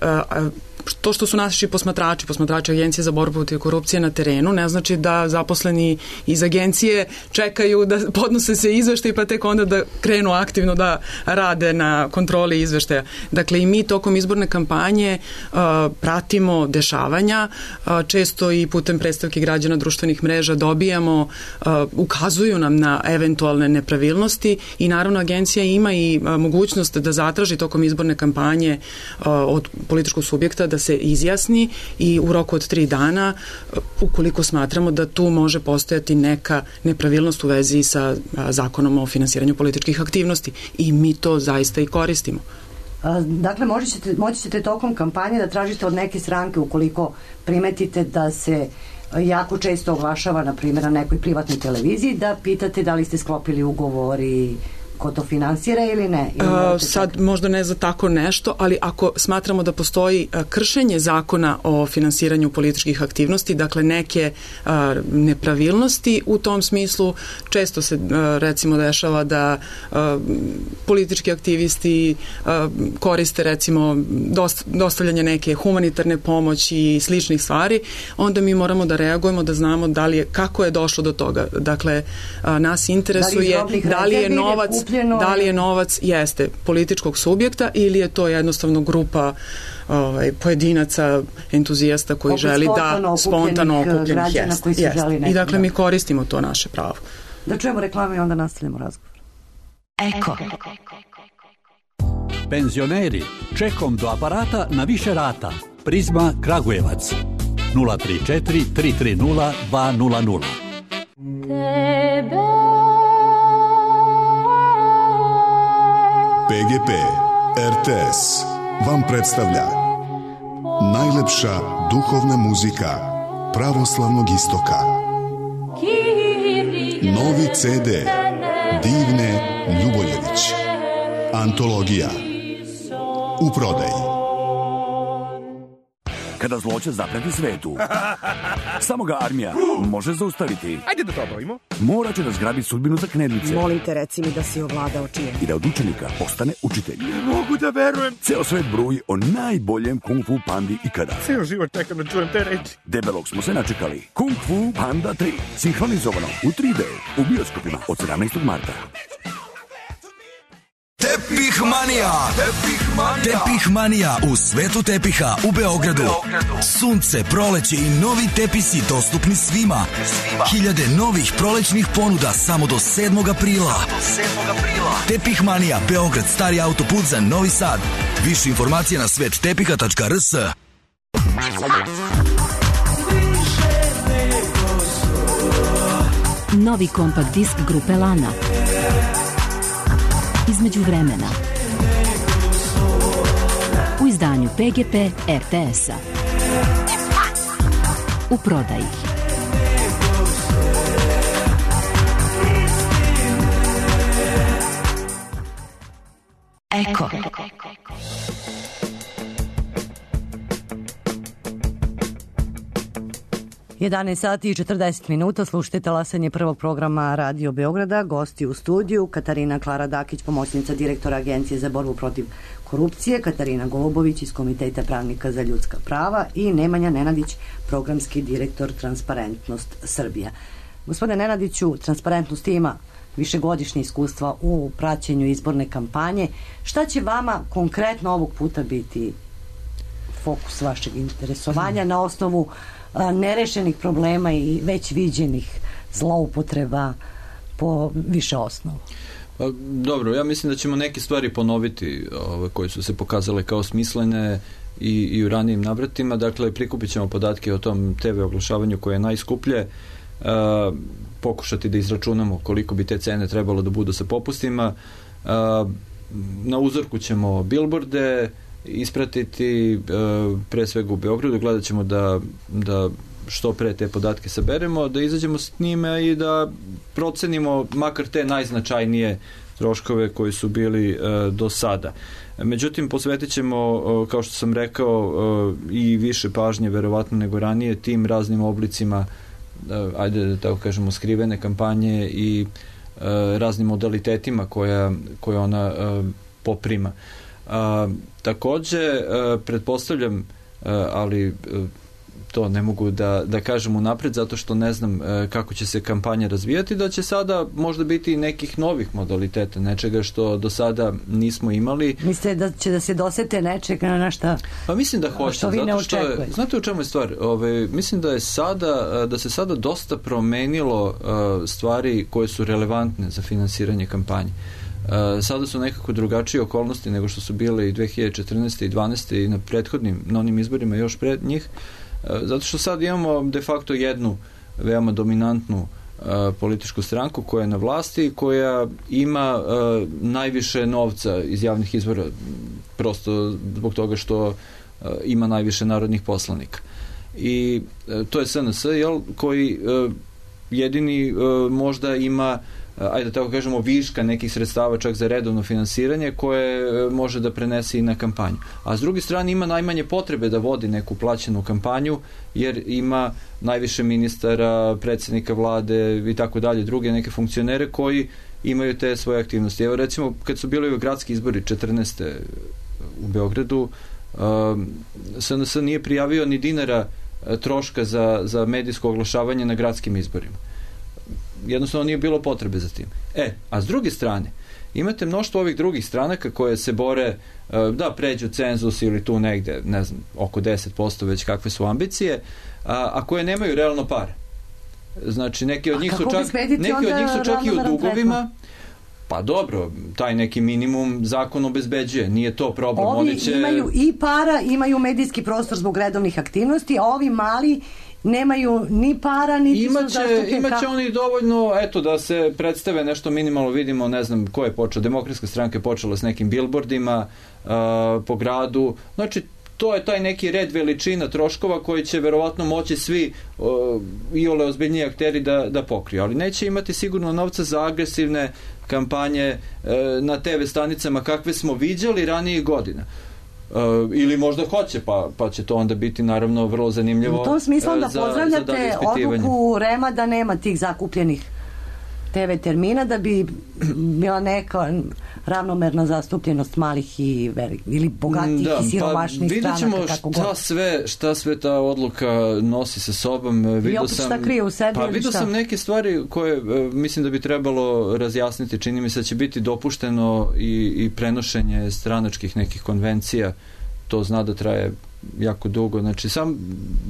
to što su naši posmatrači Agencije za borbu protiv korupcije na terenu, ne znači da zaposleni iz agencije čekaju da podnose se izveštaji pa tek onda da krenu aktivno da rade na kontroli izveštaja. Dakle, i mi tokom izborne kampanje pratimo dešavanja, često i putem predstavki građana društvenih mreža dobijamo, ukazuju nam na eventualne nepravilnosti i naravno agencija ima i mogućnost da zatraži tokom izborne kampanje od političkog subjekta da se izjasni i u roku od 3 dana ukoliko smatramo da tu može postojati neka nepravilnost u vezi sa zakonom o finansiranju političkih aktivnosti i mi to zaista i koristimo. Dakle, moći ćete tokom kampanje da tražite od neke stranke ukoliko primetite da se jako često oglašava, na primjer, na nekoj privatnoj televiziji, da pitate da li ste sklopili ugovori, ko to finansira ili ne? Sad možda ne za tako nešto, ali ako smatramo da postoji kršenje zakona o finansiranju političkih aktivnosti, dakle neke nepravilnosti u tom smislu, često se recimo dešava da politički aktivisti koriste recimo dostavljanje neke humanitarne pomoći i sličnih stvari, onda mi moramo da reagujemo, da znamo kako je došlo do toga. Dakle, nas interesuje da li je novac jeste političkog subjekta ili je to jednostavno grupa pojedinaca, entuzijasta koji želi da spontano okupljenih jeste. I dakle mi koristimo to naše pravo. Da čujemo reklame i onda nastavljamo razgovor. Eko. Penzioneri, čekom do aparata na više rata. Prizma Kragujevac 034 330 200. PGP RTS vam predstavlja najlepša duhovna muzika pravoslavnog istoka. Novi CD Divne Ljuboljević. Antologija. U prodaji. Kada zloće zapreti svetu, samo ga armija može zaustaviti. Ajde da to obavimo. Mora će da zgrabi sudbinu za knedlice. Molim te, reci mi da si ovladao čijem. I da od učenika postane učitelj. Ne mogu da verujem. Ceo svet bruji o najboljem Kung Fu pandi ikada. Ceo život čekam da čujem te reči. Debelog smo se načekali. Kung Fu Panda 3. Sinhronizovano u 3D u bioskopima od 17. marta. Tepihmanija. Tepihmanija u svetu tepiha u Beogradu. Sunce, proleće i novi tepisi dostupni svima. Hiljade novih prolećnih ponuda samo do 7. aprila. Tepihmanija, Beograd, stari autoput za Novi Sad. Više informacije na svettepiha.rs. Novi kompakt disk grupe Lana. Između vremena. U izdanju PGP RTS-a. U prodaji. Eko. 11 sati i 40 minuta, slušajte talasanje prvog programa Radio Beograda. Gosti u studiju Katarina Klara Dakić, pomoćnica direktora Agencije za borbu protiv korupcije, Katarina Golubović iz Komiteta pravnika za ljudska prava i Nemanja Nenadić, programski direktor Transparentnost Srbija. Gospodine Nenadiću, transparentnost ima višegodišnje iskustva u praćenju izborne kampanje. Šta će vama konkretno ovog puta biti fokus vašeg interesovanja na osnovu nerešenih problema i već viđenih zloupotreba po više osnovu? Dobro, ja mislim da ćemo neke stvari ponoviti koje su se pokazale kao smislene i u ranijim navratima. Dakle, prikupit ćemo podatke o tom TV oglašavanju koje je najskuplje, pokušati da izračunamo koliko bi te cene trebalo da budu sa popustima. Na uzorku ćemo billboarde ispratiti, pre svega u Beogradu, gledat ćemo da što pre te podatke saberemo, da izađemo s njime i da procenimo makar te najznačajnije troškove koji su bili do sada. Međutim, posvetit ćemo, kao što sam rekao, i više pažnje verovatno nego ranije tim raznim oblicima, ajde da tako kažemo, skrivene kampanje i raznim modalitetima koje ona poprima. Takođe, pretpostavljam, ali to ne mogu da kažem unapred zato što ne znam kako će se kampanja razvijati, da će sada možda biti nekih novih modaliteta, nečega što do sada nismo imali. Mislite da će da se dosete nečega na šta? Pa mislim da hoće, što vi ne očekujete. Znate u čemu je stvar? Mislim da se sada dosta promenilo stvari koje su relevantne za finansiranje kampanje. Sada su nekako drugačije okolnosti nego što su bile i 2014. i 2012. i na onim izborima još pred njih, zato što sad imamo de facto jednu veoma dominantnu političku stranku koja je na vlasti i koja ima najviše novca iz javnih izvora, prosto zbog toga što ima najviše narodnih poslanika. I to je SNS, koji jedini možda ima, ajde da tako kažemo, viška nekih sredstava čak za redovno finansiranje koje može da prenese i na kampanju. A s druge strane ima najmanje potrebe da vodi neku plaćenu kampanju jer ima najviše ministara, predsjednika vlade i tako dalje, druge neke funkcionere koji imaju te svoje aktivnosti. Evo recimo kad su bili gradski izbori 14. u Beogradu, SNS nije prijavio ni dinara troška za medijsko oglašavanje na gradskim izborima. Jednostavno nije bilo potrebe za tim. A s druge strane, imate mnoštvo ovih drugih stranaka koje se bore da pređu cenzus ili tu negde, ne znam, oko 10% već kakve su ambicije, a koje nemaju realno pare. Znači, neki od njih su čak i u dugovima. Pa dobro, taj neki minimum zakon obezbeđuje, nije to problem. Ovi imaju i para, imaju medijski prostor zbog redovnih aktivnosti, a ovi mali nemaju ni para, niti su zastupljeni. Imaće oni dovoljno, da se predstave nešto minimalno, vidimo, ne znam ko je počeo, Demokratska stranka je počela s nekim billboardima po gradu, znači to je taj neki red veličina troškova koji će verovatno moći svi iole ozbiljniji akteri da pokriju, ali neće imati sigurno novca za agresivne kampanje na TV stanicama kakve smo viđali ranijih godina. Ili možda hoće, pa će to onda biti naravno vrlo zanimljivo. U tom smislu da pozdravljate odluku REM-a da nema tih zakupljenih TV termina, da bi bila neka ravnomerna zastupljenost malih i ili bogatih i siromašnih stranaka. Vidjet ćemo šta sve ta odluka nosi sa sobom. I opet šta krije u sebi? Pa vidio sam neke stvari koje mislim da bi trebalo razjasniti. Čini mi se da će biti dopušteno i prenošenje stranačkih nekih konvencija. To zna da traje jako dugo. Znači,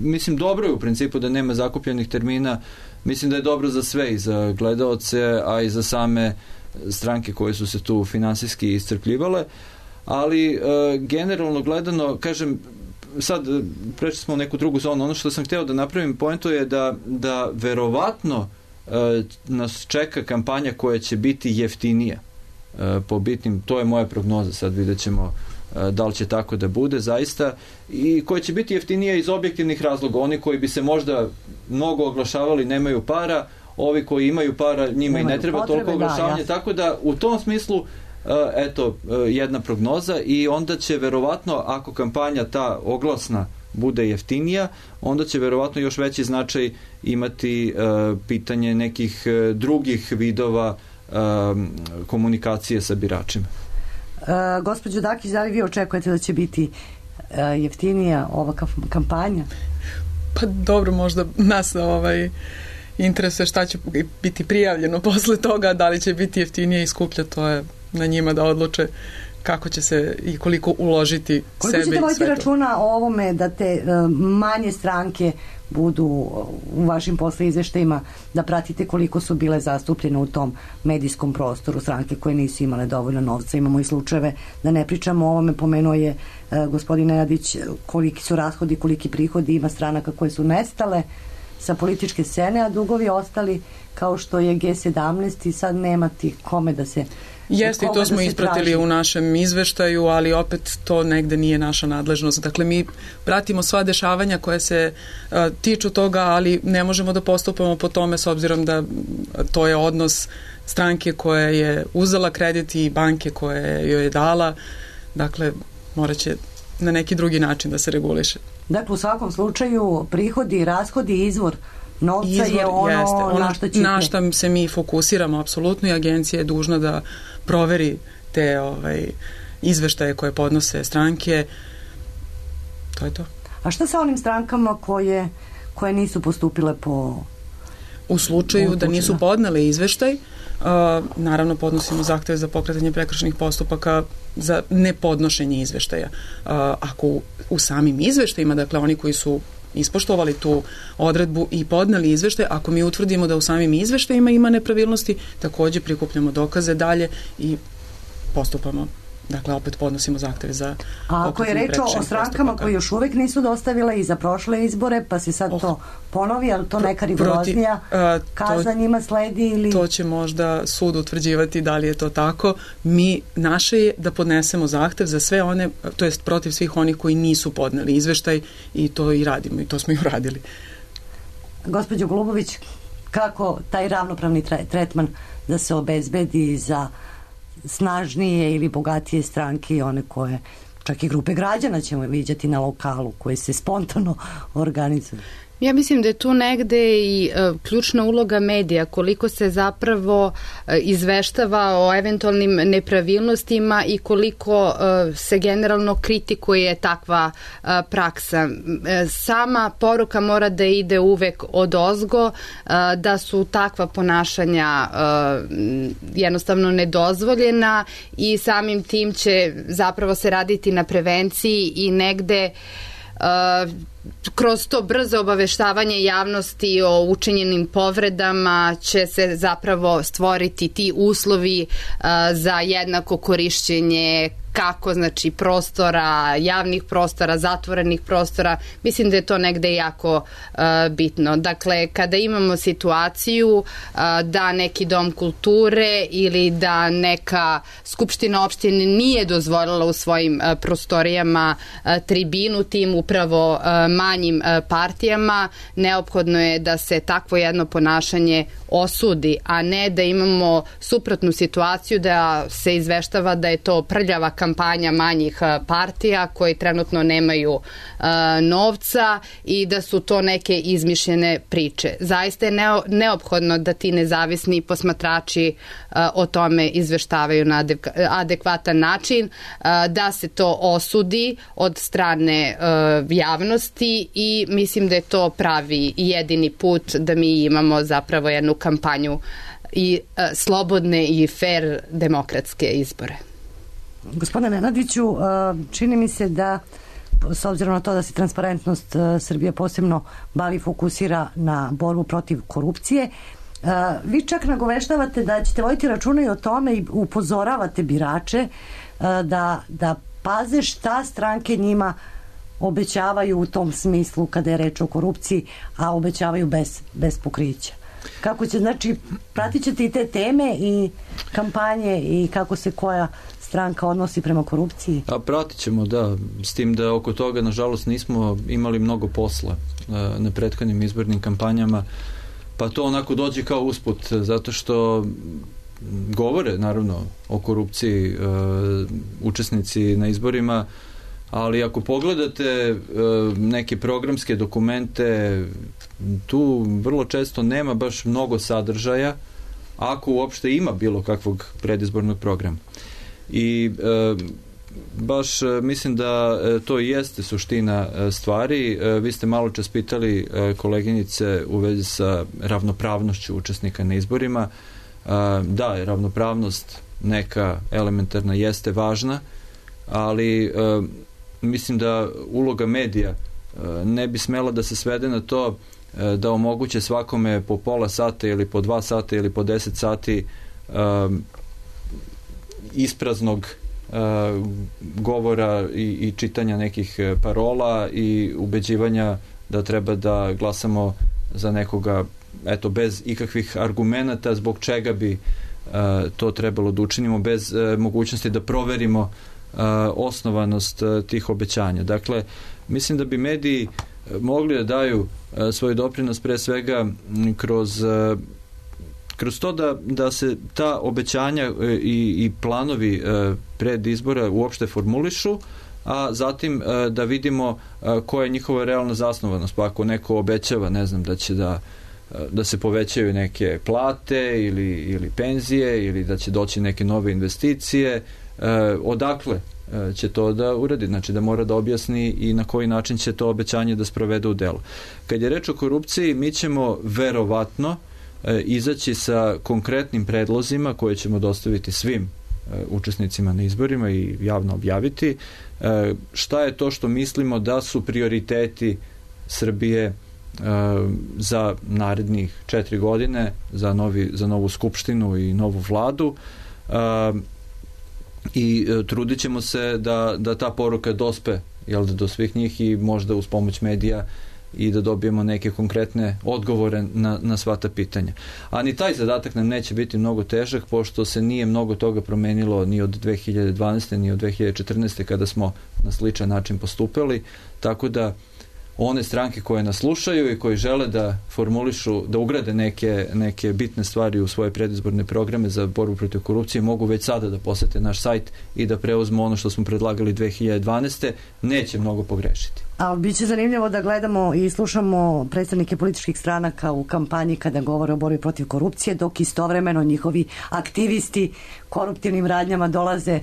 mislim, dobro je u principu da nema zakupljenih termina. Mislim da je dobro za sve, i za gledaoce, a i za same stranke koje su se tu finansijski iscrpljivale, ali generalno gledano, kažem, sad prešli smo u neku drugu zonu. Ono što sam hteo da napravim pointu je da verovatno nas čeka kampanja koja će biti jeftinija po bitnim, to je moja prognoza, sad vidjet ćemo da li će tako da bude zaista, i koja će biti jeftinija iz objektivnih razloga. Oni koji bi se možda mnogo oglašavali nemaju para, ovi koji imaju para njima i ne treba toliko oglašavanje, tako da u tom smislu jedna prognoza, i onda će verovatno, ako kampanja ta oglasna bude jeftinija, onda će verovatno još veći značaj imati pitanje nekih drugih vidova komunikacije sa biračima. Gospođo Dakić, da li vi očekujete da će biti jeftinija ova kampanja? Pa dobro, možda nas interesuje šta će biti prijavljeno posle toga, da li će biti jeftinije i skuplje, to je na njima da odluče kako će se i koliko uložiti sebe i sve to. Koliko ćete voditi računa o ovome da te manje stranke budu u vašim posle izveštajima, da pratite koliko su bile zastupljene u tom medijskom prostoru stranke koje nisu imale dovoljno novca? Imamo i slučajeve, da ne pričamo o ovome, pomenuo je gospodin Nenadić koliki su rashodi, koliki prihodi ima stranaka koje su nestale sa političke scene, a dugovi ostali kao što je G17 i sad nema ti kome da se... Jeste, i to smo ispratili u našem izveštaju, ali opet to negde nije naša nadležnost. Dakle, mi pratimo sva dešavanja koje se tiču toga, ali ne možemo da postupamo po tome s obzirom da to je odnos stranke koja je uzela kredit i banke koje joj je dala. Dakle, morat će na neki drugi način da se reguliše. Dakle, u svakom slučaju prihodi i rashodi, izvor novca je ono na što ćete... Na što se mi fokusiramo apsolutno, i agencija je dužna da proveri te izveštaje koje podnose stranke. To je to. A šta sa onim strankama koje nisu postupile po... U slučaju da nisu podnele izveštaj, naravno podnosimo zahteve za pokretanje prekršajnih postupaka za nepodnošenje izveštaja. Ako u samim izveštajima, dakle oni koji su ispoštovali tu odredbu i podneli izveštaj, ako mi utvrdimo da u samim izveštajima ima nepravilnosti, takođe prikupljamo dokaze dalje i postupamo. Dakle, opet podnosimo zahteve za... A ako je reč o strankama koje još uvek nisu dostavile i za prošle izbore, pa se sad to ponovi, ali to neka rigoroznija kazna njima sledi ili... To će možda sud utvrđivati da li je to tako. Naše je da podnesemo zahtev za sve one, to jest protiv svih onih koji nisu podneli izveštaj, i to i radimo, i to smo i uradili. Gospođo Golubović, kako taj ravnopravni tretman da se obezbedi za snažnije ili bogatije stranke i one koje, čak i grupe građana ćemo viđati na lokalu, koje se spontano organizuju? Ja mislim da je tu negde i ključna uloga medija, koliko se zapravo izveštava o eventualnim nepravilnostima i koliko se generalno kritikuje takva praksa. Sama poruka mora da ide uvek odozgo, da su takva ponašanja jednostavno nedozvoljena i samim tim će zapravo se raditi na prevenciji i negde kroz to brzo obaveštavanje javnosti o učinjenim povredama će se zapravo stvoriti ti uslovi za jednako korišćenje kako, znači, prostora, javnih prostora, zatvorenih prostora. Mislim da je to negde jako bitno. Dakle, kada imamo situaciju da neki dom kulture ili da neka skupština opštine nije dozvolila u svojim prostorijama tribinu tim upravo manjim partijama, neophodno je da se takvo jedno ponašanje osudi, a ne da imamo suprotnu situaciju da se izveštava da je to prljava kampanja manjih partija koji trenutno nemaju novca i da su to neke izmišljene priče. Zaista je neophodno da ti nezavisni posmatrači o tome izveštavaju na adekvatan način, da se to osudi od strane javnosti i mislim da je to pravi i jedini put da mi imamo zapravo jednu kampanju i slobodne i fair demokratske izbore. Gospodine Nenadiću, čini mi se da, s obzirom na to da se transparentnost Srbije posebno bavi, fokusira na borbu protiv korupcije, vi čak nagoveštavate da ćete voditi računa i o tome i upozoravate birače da paze šta stranke njima obećavaju u tom smislu kada je reč o korupciji, a obećavaju bez pokrića. Kako će, znači, pratit ćete i te teme i kampanje i kako se koja stranka odnosi prema korupciji? A pratit ćemo, da, s tim da oko toga nažalost nismo imali mnogo posla na prethodnim izbornim kampanjama, pa to onako dođe kao usput, zato što govore naravno o korupciji učesnici na izborima, ali ako pogledate neke programske dokumente, tu vrlo često nema baš mnogo sadržaja, ako uopšte ima bilo kakvog predizbornog programa. I baš mislim da to i jeste suština stvari. Vi ste malo čas pitali koleginice u vezi sa ravnopravnošću učesnika na izborima. Da, ravnopravnost neka elementarna jeste važna, ali mislim da uloga medija ne bi smela da se svede na to da omoguće svakome po pola sata ili po 2 sata ili po 10 sati ispraznog govora i čitanja nekih parola i ubeđivanja da treba da glasamo za nekoga bez ikakvih argumenata zbog čega bi to trebalo da učinimo, bez mogućnosti da proverimo osnovanost tih obećanja. Dakle, mislim da bi mediji mogli da daju svoj doprinos pre svega kroz to da se ta obećanja i planovi pred izbora uopšte formulišu, a zatim da vidimo koja je njihova realna zasnovanost. Pa ako neko obećava, ne znam, da će da se povećaju neke plate ili penzije ili da će doći neke nove investicije, odakle će to da uradi, znači da mora da objasni i na koji način će to obećanje da sprovede u delo. Kad je reč o korupciji, mi ćemo verovatno izaći sa konkretnim predlozima koje ćemo dostaviti svim učesnicima na izborima i javno objaviti. Šta je to što mislimo da su prioriteti Srbije za narednih 4 godine, za novu skupštinu i novu vladu, i trudit ćemo se da ta poruka dospe do svih njih i možda uz pomoć medija i da dobijemo neke konkretne odgovore na sva ta pitanja. A ni taj zadatak nam neće biti mnogo težak, pošto se nije mnogo toga promenilo ni od 2012. ni od 2014. kada smo na sličan način postupili, tako da one stranke koje nas slušaju i koji žele da formulišu, da ugrade neke bitne stvari u svoje predizborne programe za borbu protiv korupcije, mogu već sada da posete naš sajt i da preuzmu ono što smo predlagali 2012. Neće mnogo pogrešiti. A biće zanimljivo da gledamo i slušamo predstavnike političkih stranaka u kampanji kada govore o borbi protiv korupcije, dok istovremeno njihovi aktivisti koruptivnim radnjama dolaze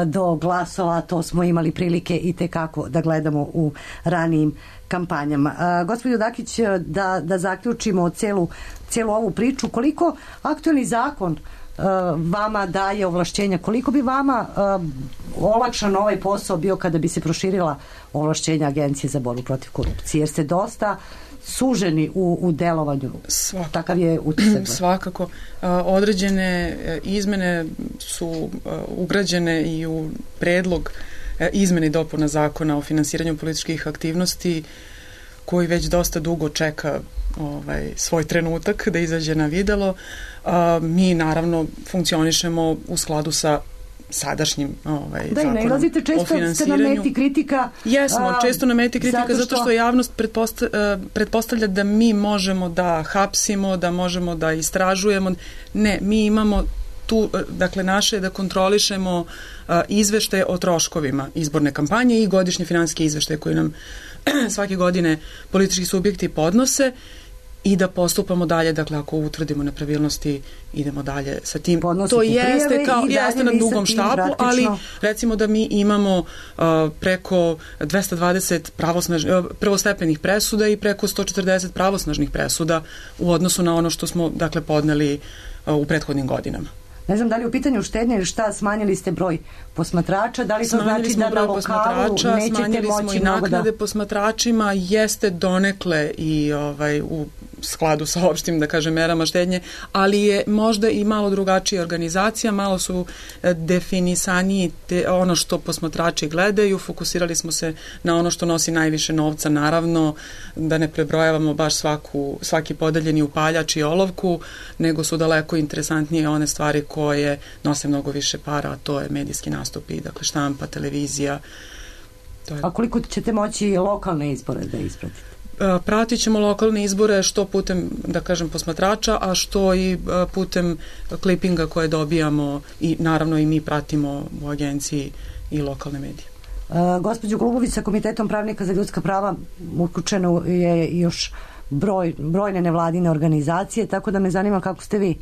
do glasova. To smo imali prilike i tekako da gledamo u ranijim kampanjama. Gospođo Dakić, da zaključimo celu ovu priču, koliko aktuelni zakon vama daje ovlašćenja, koliko bi vama olakšan ovaj posao bio kada bi se proširila ovlašćenja Agencije za borbu protiv korupcije, jer ste dosta suženi u delovanju. Takav je utisak. Svakako. Određene izmene su ugrađene i u predlog izmene i dopuna zakona o finansiranju političkih aktivnosti, koji već dosta dugo čeka svoj trenutak da izađe na videlo. Mi naravno funkcionišemo u skladu sa sadašnjim zakonom i nailazite često, ste na meti kritika. Jesmo, često na meti kritika zato što javnost pretpostavlja da mi možemo da hapsimo, da možemo da istražujemo. Ne, mi imamo tu, dakle, naše je da kontrolišemo izveštaje o troškovima izborne kampanje i godišnje finansijske izveštaje koje nam svake godine politički subjekti podnose i da postupamo dalje, dakle ako utvrdimo nepravilnosti idemo dalje sa tim. To jeste na dugom štapu, ali recimo da mi imamo preko 220 prvostepenih presuda i preko 140 pravosnažnih presuda u odnosu na ono što smo, dakle, podneli u prethodnim godinama. Ne znam da li u pitanju štednje ili šta, smanjili ste broj posmatrača, da li to znači da na lokalu nećete moći i naknade posmatračima, jeste donekle i u skladu sa opštim, da kažem, merama štednje, ali je možda i malo drugačija organizacija, malo su definisaniji ono što posmatrači gledaju, fokusirali smo se na ono što nosi najviše novca, naravno da ne prebrojavamo baš svaki podeljeni upaljač i olovku, nego su daleko interesantnije one stvari koje nose mnogo više para, a to je medijski nastupi, dakle štampa, televizija. A koliko ćete moći lokalne izbore da ispratite? Pratit ćemo lokalne izbore što putem, da kažem, posmatrača, a što i putem klipinga koje dobijamo i naravno i mi pratimo u agenciji i lokalne medije. Gospođo Golubović, sa Komitetom pravnika za ljudska prava uključeno je još brojne nevladine organizacije, tako da me zanima kako ste vi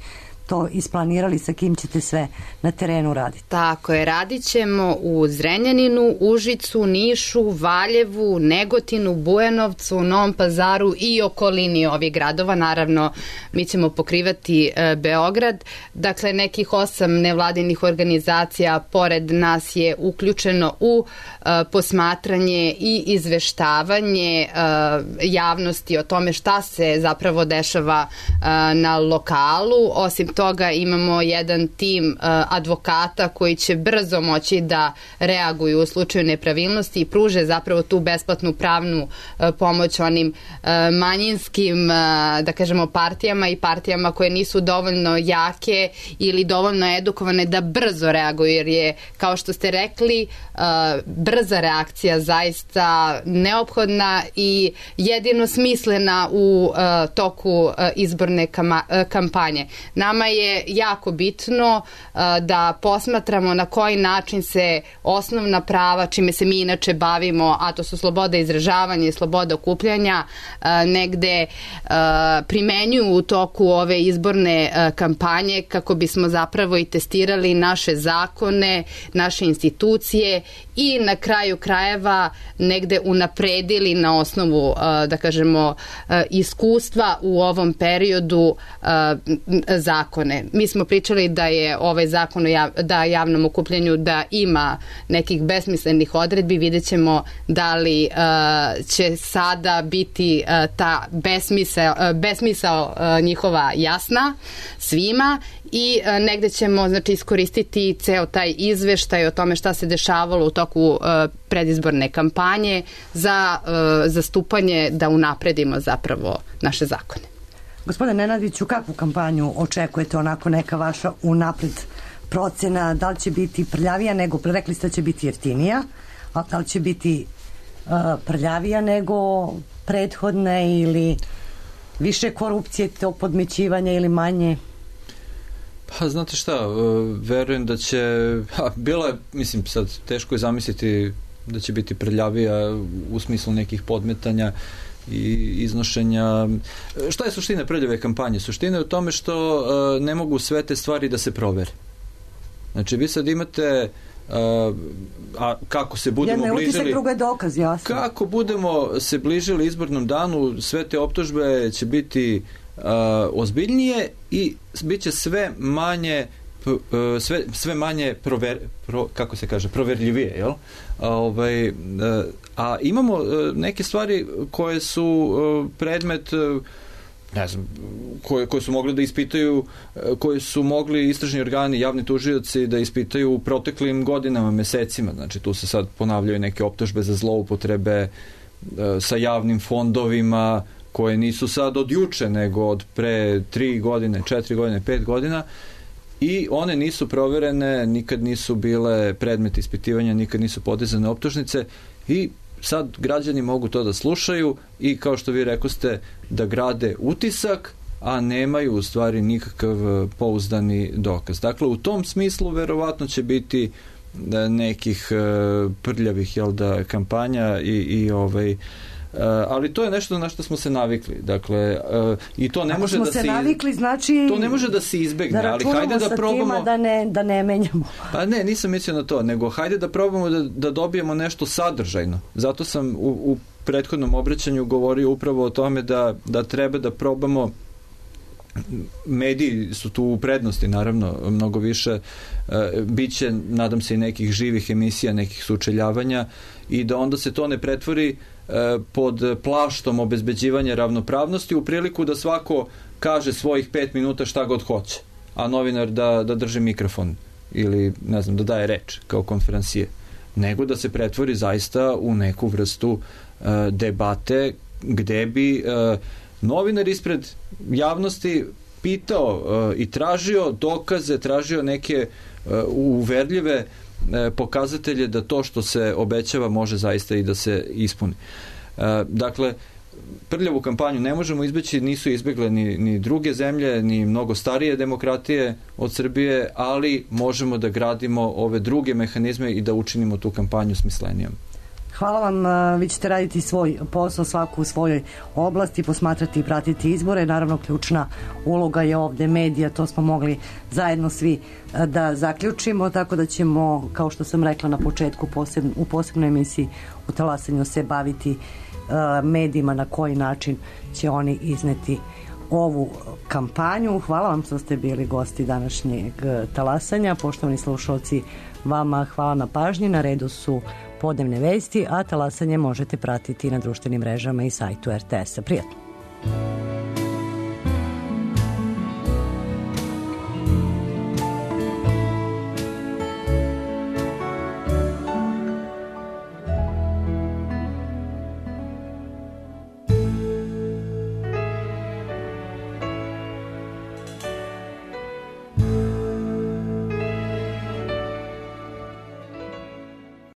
to isplanirali, sa kim ćete sve na terenu raditi? Tako je, radit ćemo u Zrenjaninu, Užicu, Nišu, Valjevu, Negotinu, Bujanovcu, Novom Pazaru i okolini ovih gradova. Naravno, mi ćemo pokrivati Beograd. Dakle, nekih 8 nevladinih organizacija pored nas je uključeno u posmatranje i izveštavanje javnosti o tome šta se zapravo dešava na lokalu. Osim toga imamo jedan tim advokata koji će brzo moći da reaguju u slučaju nepravilnosti i pruže zapravo tu besplatnu pravnu pomoć onim manjinskim, da kažemo, partijama i partijama koje nisu dovoljno jake ili dovoljno edukovane da brzo reaguju, jer je, kao što ste rekli, brza reakcija zaista neophodna i jedino smislena u toku izborne kampanje. Nama je jako bitno da posmatramo na koji način se osnovna prava, čime se mi inače bavimo, a to su sloboda izražavanja i sloboda okupljanja, negde primenjuju u toku ove izborne kampanje, kako bismo zapravo i testirali naše zakone, naše institucije i na kraju krajeva negde unapredili na osnovu, da kažemo, iskustva u ovom periodu zakone. Mi smo pričali da je ovaj zakon o javnom okupljanju da ima nekih besmislenih odredbi. Vidjet ćemo da li će sada biti ta besmisao njihova jasna svima i negde ćemo, znači, iskoristiti ceo taj izveštaj o tome šta se dešavalo u toku predizborne kampanje za zastupanje, da unapredimo zapravo naše zakone. Gospodine Nenadiću, kakvu kampanju očekujete, onako neka vaša unapred procena, da li će biti prljavija nego, rekli ste da će biti jeftinija, a da li će biti prljavija nego prethodne ili više korupcije, tog podmećivanja ili manje? Pa znate šta, verujem da će, bilo je, mislim, sad teško je zamisliti da će biti prljavija u smislu nekih podmetanja i iznošenja. Šta je suština prljave kampanje? Suština je u tome što ne mogu sve te stvari da se provere. Znači, vi sad imate a kako se budemo bližili... Jedna je utisak, druga je dokaz, jasno. Kako budemo se bližili izbornom danu, sve te optužbe će biti ozbiljnije i bit će sve manje kako se kaže, proverljivije, jel? A imamo neke stvari koje su predmet, ne znam, koje su mogli da ispitaju, koje su mogli istražni organi, javni tužioci da ispitaju u proteklim godinama, mesecima. Znači, tu se sad ponavljaju neke optužbe za zloupotrebe sa javnim fondovima, koje nisu sad od juče, nego od pre 3 godine, 4 godine, 5 godina, i one nisu proverene, nikad nisu bile predmet ispitivanja, nikad nisu podizane optužnice i sad građani mogu to da slušaju i, kao što vi rekoste, da grade utisak, a nemaju u stvari nikakav pouzdani dokaz. Dakle, u tom smislu verovatno će biti nekih prljavih, jel da, kampanja i ali to je nešto na što smo se navikli. Dakle, i to ne može da se navikli, znači to ne može da se izbegne, ali hajde da probamo da ne menjamo. Pa ne, nisam mislio na to, nego hajde da probamo da dobijemo nešto sadržajno. Zato sam u prethodnom obraćanju govorio upravo o tome da treba da probamo. Mediji su tu u prednosti, naravno, mnogo više. Biće, nadam se, i nekih živih emisija, nekih sučeljavanja, i da onda se to ne pretvori pod plaštom obezbeđivanja ravnopravnosti u priliku da svako kaže svojih 5 minuta šta god hoće, a novinar da drži mikrofon ili, ne znam, da daje reč kao konferencije, nego da se pretvori zaista u neku vrstu debate gde bi novinar ispred javnosti pitao i tražio dokaze, tražio neke uverljive pokazatelje da to što se obećava može zaista i da se ispuni. Dakle, prljavu kampanju ne možemo izbeći, nisu izbegle ni druge zemlje, ni mnogo starije demokratije od Srbije, ali možemo da gradimo ove druge mehanizme i da učinimo tu kampanju smislenijom. Hvala vam, vi ćete raditi svoj posao, svaku u svojoj oblasti, posmatrati i pratiti izbore. Naravno, ključna uloga je ovde medija, to smo mogli zajedno svi da zaključimo, tako da ćemo, kao što sam rekla na početku, u posebnoj emisiji u Talasanju se baviti medijima, na koji način će oni izneti ovu kampanju. Hvala vam što ste bili gosti današnjeg Talasanja. Poštovani slušalci, vama hvala na pažnji. Na redu su podnevne vesti, a Talasanje možete pratiti na društvenim mrežama i sajtu RTS-a. Prijatno!